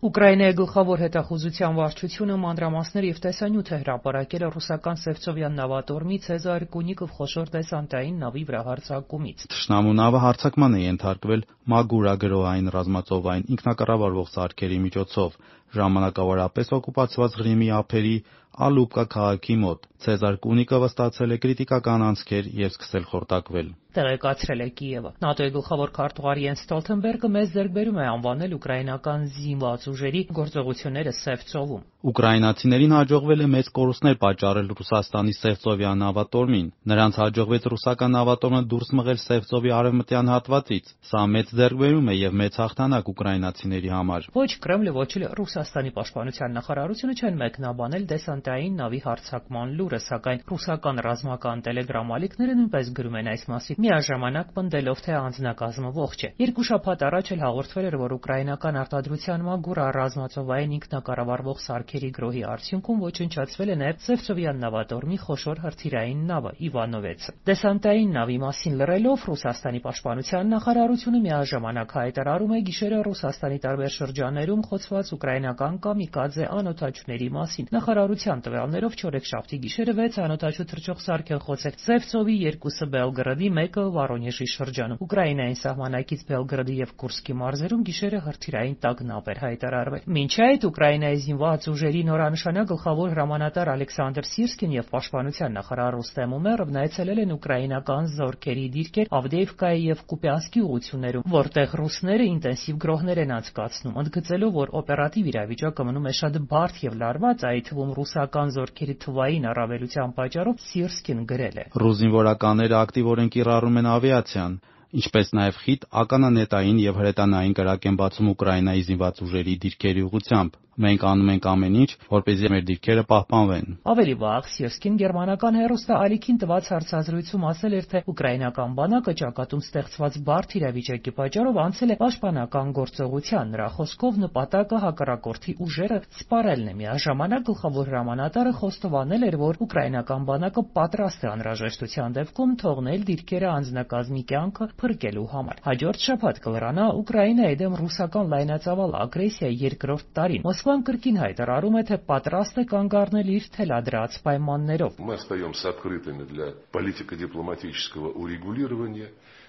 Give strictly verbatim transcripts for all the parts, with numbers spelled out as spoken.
Ուկրաինայի գլխավոր հետախուզության վարչությունը մանրամասներ և տեսանյութ է հրապարակել ռուսական Սևծովյան նավատորմի Ցեզար Կունիկով խոշոր դեսանտային նավի վրա հարձակումից։ Թշնամու նավը հարձակման է ենթարկվել Մագուրագրոային ռազմածովային ինքնակառավարվող սարքերի միջոցով ժամանակավորապես օկուպացված Ղրիմի ափերի Ալուբկա քաղաքի մոտ։ Ցեզար Կունիկովը ստացել է կրիտիկական անցքեր և սկսել խորտակվել։ Տեղեկացրել է Կիևը։ ՆԱՏՕ-ի գլխավոր քարտուղար Յենս Ստոլթենբերգը մեծ ձեռքբերում է անվանել ուկրաինական զինված ուժերի գործողությունները Սևծովում։ Ուկրաինացիներին հաջողվել է մեծ կորուստներ պատճառել Ռուսաստանի Սևծովյան նավատորմին։ Նրանց հաջողվեց ռուսական նավատորմը դուրս մղել Սևծովի արևմտյան հատվածից։ Սա մեծ ձեռքբերում է և մեծ հաղթանակ ուկրաինացիների համար։ Ոչ Կրեմլը, ոչ էլ Ռուսաստանի պաշտպանության նախարարությունը չեն մեկնաբանել դեսանտային նավի հարձակման լուրը, սակայն ռուսական ռազմական տելեգրամ-ալիքները նույնպես գրում են այս մասին, միաժամանակ պնդելով, թե անձնակազմը ողջ է։ Երկու շաբաթ առաջ էլ հաղորդվել էր, որ ուկրաինական արտադրության Մագուրա ռազմածովային ինքնակառավարվող սարքերի գրոհի արդյունքում ոչնչացվել է նաև Սևծովյան նավատորմի խոշոր հրթիռային նավը Իվանովեցը։ Դեսանտային նավի մասին լռելով Ռուսաստանի պաշտպանության նախարարությունը միաժամանակ հայտարարում է գիշերը Ռուսաստանի տարբեր շրջաններում խոցված ուկրաինական կամիկաձե անօդաչուների մասին։ Նախարարության տվյալներով չորեքշաբթի գիշերը վեց անօդաչու թռչող սարք են խոցել Սևծովի երկուսը Բելգրադի, մեկը Վորոնեժի շրջանում։ Ուկրաինային սահմանակից Բելգրադի և Կուրսկի մարզերում գիշերը հրթիռային տագնապ էր հայտարարվել։ Մինչ այդ Ուկրաինայի զինված ուժերի նորանշանակ գլխավոր հրամանատար Ալեքսանդր Սիրսկին և պաշտպանության նախարար Ռուստեմ Ումերովն այցելել են ուկրաինական զորքերի դիրքեր Ավդեևկայի և Կուպյանսկի ուղղություններում, որտեղ ռուսները ինտենսիվ գրոհներ են անցկացնում, ընդգծելով, որ օպերատիվ իրավիճակը մնում է շատ բարդ և լարված, այդ թվում ռուսական զորքերի թվային առավելության պատճառով Սիրսկին գրել է. «Ռուս զինվորականները ակտիվորեն կիրառում են ավիացիան, ինչպես նաև խիտ ականանետային և հրետանային կրակ են բացում Ուկրաինայի զինված ուժերի դիրքերի ուղղությամբ։ Մենք անում ենք ամեն ինչ, որպեսզի մեր դիրքերը պահպանվեն»։ Ավելի վաղ Սիրսկին գերմանական հեռուստաալիքին տված հարցազրույցում ասել էր, թե ուկրաինական բանակը ճակատում ստեղծված բարդ իրավիճակի պատճառով անցել է պաշտպանական գործողության։ Նրա խոսքով նպատակը հակառակորդի ուժերը սպառելն է։ Միաժամանակ գլխավոր հրամանատարը խոստովանել էր, որ ուկրաինական բանակը պատրաստ է անհրաժեշտության դեպքում թողնել դիրքերը անձնակազմի կյանքը փրկելու համար։ Հաջորդ շաբաթ կլրանա Ուկրաինայի դեմ ռուսական լայնածավալ ագրեսիայի երկրորդ տարին։ Մոսկվան կրկին հայտարարում է, թե պատրաստ է կանգ առնել իր թելադրած պայմաններով։ Мы остаемся открытыми для политико-дипломатического урегулирования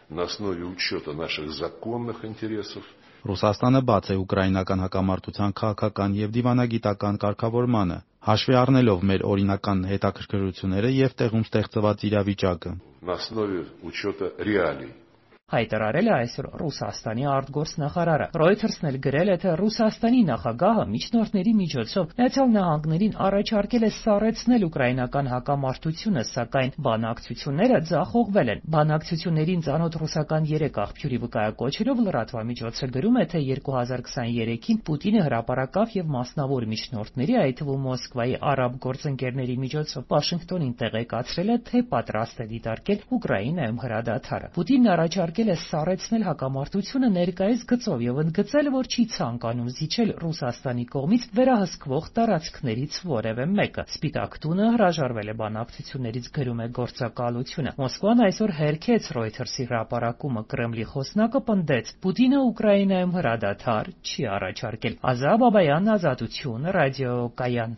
на основе учета наших законных интересов. Ռուսաստանը բաց է ուկրաինական հակամարտության քաղաքական և դիվանագիտական կարգավորմանը, հաշվի առնելով մեր օրինական հետաքրքրությունները և տեղում ստեղծված իրավիճակը։ На основе учета реалий. Հայտարարել է այսօր Ռուսաստանի արտգործնախարարը։ Reuters-ն էլ գրել է, թե Ռուսաստանի նախագահը միջնորդների միջոցով Միացյալ Նահանգներին առաջարկել է սառեցնել ուկրաինական հակամարտությունը, սակայն բանակցությունները ձախողվել են։ Բանակցություններին ծանոթ ռուսական երեք աղբյուրի վկայակոչերով լրատվամիջոցը գրում է, թե երկու հազար քսաներեքին Պուտինը հրապարակավ և մասնավոր միջնորդների, այդ թվում Մոսկվայի արաբ գործընկերների միջոցով Վաշինգտոնին տեղեկացրել է, թե պատրաստ է դիտարկել Ուկրաինայում հրադադարը։ Պուտինն առաջարկել է սառեցնել հակամարտությունը ներկայիս գծով և ընդգծել, որ չի ցանկանում զիջել Ռուսաստանի կողմից վերահսկվող տարածքներից որևէ մեկը։ Սպիտակ տունը հրաժարվել է բանակցություններից, գրում է գործակալությունը։ Մոսկվան այսօր հերքեց Reuters-ի հրապարակումը։ Կրեմլի խոսնակը պնդեց. Պուտինը Ուկրաինայում հրադադար չի առաջարկել։ Ազա Բաբայան, Ազատություն, ռադիոկայան։